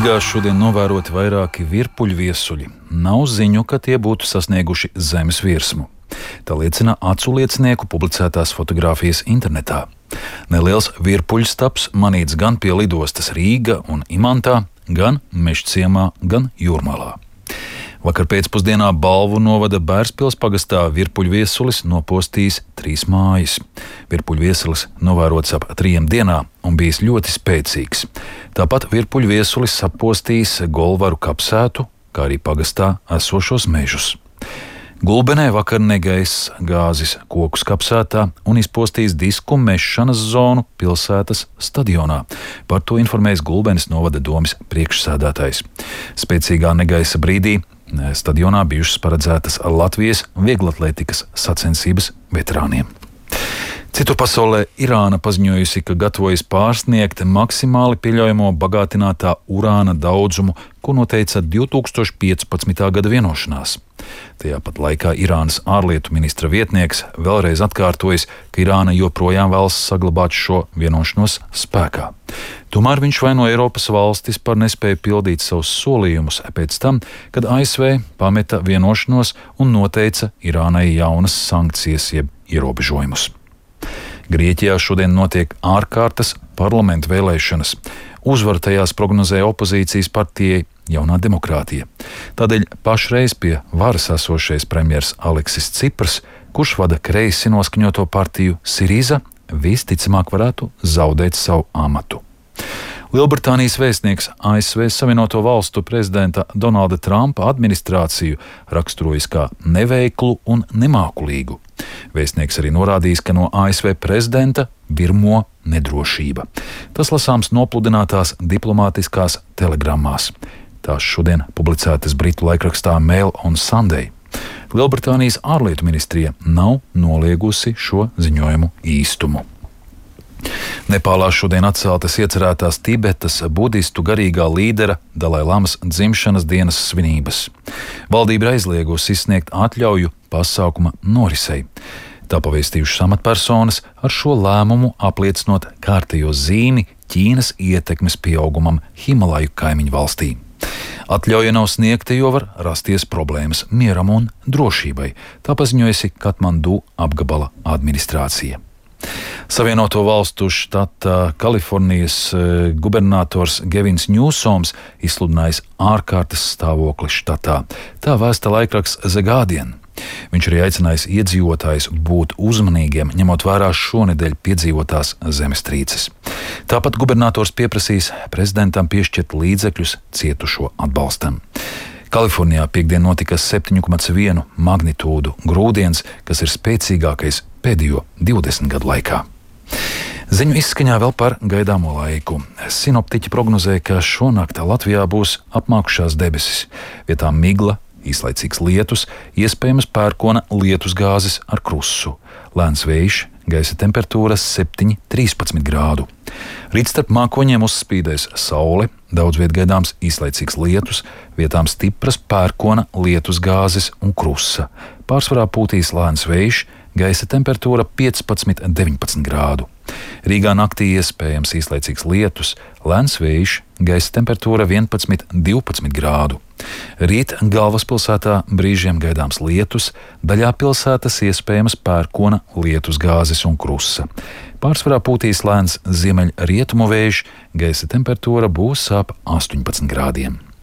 Rīgā šodien novēroti vairāki virpuļu viesuļi. Nav ziņu, ka tie būtu sasnieguši zemes virsmu. Tā liecina acu liecinieku publicētās fotogrāfijas internetā. Neliels virpuļstaps manīts gan pie lidostas Rīga un Imantā, gan Mežciemā, gan Jūrmalā. Vakar pēcpusdienā Balvu novada Bērspils pagastā virpuļu viesulis nopostījis 3 mājas. Virpuļu viesulis novērots ap 3 dienām un bijis ļoti spēcīgs. Tāpat virpuļu viesulis sapostījis Golvaru kapsētu, kā arī pagastā esošos mežus. Gulbenē vakar negaiss gāzis Kokus kapsētā un izpostījis disku mešanas zonu pilsētas stadionā. Par to informējis Gulbenes novada domes priekšsēdētājs. Spēcīgā negaisa brīdī stadionā bijušas paredzētas Latvijas vieglatlētikas sacensības veterāniem. Citur pasaulē Irāna paziņojusi, ka gatavojas pārsniegt maksimāli pieļaujamo bagātinātā urāna daudzumu, ko noteica 2015. gada vienošanās. Tajā pat laikā Irānas ārlietu ministra vietnieks vēlreiz atkārtojis, ka Irāna joprojām vēlas saglabāt šo vienošanos spēkā. Tomēr viņš vaino Eiropas valstis par nespēju pildīt savus solījumus pēc tam, kad ASV pameta vienošanos un noteica Irānai jaunas sankcijas jeb ierobežojumus. Grieķijā šodien notiek ārkārtas parlamenta vēlēšanas. Uzvaru tajās prognozē opozīcijas partijai Jaunā demokrātija. Tādēļ pašreiz pie varas esošais premjers Aleksis Cipras, kurš vada kreisi noskaņoto partiju Siriza, visticamāk varētu zaudēt savu amatu. Lielbritānijas vēstnieks ASV Savienoto Valstu prezidenta Donalda Trumpa administrāciju raksturojis kā neveiklu un nemākulīgu. Vēstnieks arī norādījis, ka no ASV prezidenta virmo nedrošība. Tas lasāms nopludinātās diplomātiskās telegrammās. Tās šodien publicētas britu laikrakstā Mail on Sunday. Lielbritānijas ārlietu ministrija nav noliegusi šo ziņojumu īstumu. Nepālā šodien atceltas iecerētās Tibetas budistu garīgā līdera Dalai Lamas dzimšanas dienas svinības. Valdība ir aizliegusi izsniegt atļauju pasākuma norisei. Tā pavēstījušas amatpersonas, ar šo lēmumu apliecinot kārtējo zīmi Ķīnas ietekmes pieaugumam Himalaju kaimiņu valstī. Atļauja nav sniegta, jo var rasties problēmas mieram un drošībai, tā paziņojusi Katmandu apgabala administrācija. Savienoto Valstu štata Kalifornijas gubernators Gevins Ņūsoms izsludinājis ārkārtas stāvokli štatā. Tā vēsta laikraksts The Guardian. Viņš arī aicinājis iedzīvotājus būt uzmanīgiem, ņemot vērā šonedēļ piedzīvotās zemestrīces. Tāpat gubernators pieprasīs prezidentam piešķirt līdzekļus cietušo atbalstam. Kalifornijā piekdien notika 7,1 magnitūdu grūdienis, kas ir spēcīgākais pēdējo 20 gadu laikā. Ziņu izskaņā vēl par gaidāmo laiku. Sinoptiķi prognozē, ka šonakt Latvijā būs apmākušās debesis, vietām migla, īslaicīgs lietus, iespējams pērkona lietusgāzes ar krusu. Lēns vējš, gaisa temperatūra 7–13 grādu. Rīt starp mākoņiem uzspīdēs saule, daudz viet gaidāms īslaicīgs lietus, vietām stipras pērkona lietusgāzes un krusa. Pārsvarā pūtīs lēns vējš, gaisa temperatūra 15–19 grādu. Rīgā naktī iespējams īslaicīgs lietus, lēns vējš, gaisa temperatūra 11–12 grādu. Rīt galvaspilsētā brīžiem gaidāms lietus, daļā pilsētas iespējams pērkona lietusgāzes un krusa. Pārsvarā pūtīs lēns ziemeļrietumu vējš, gaisa temperatūra būs ap 18 grādiem.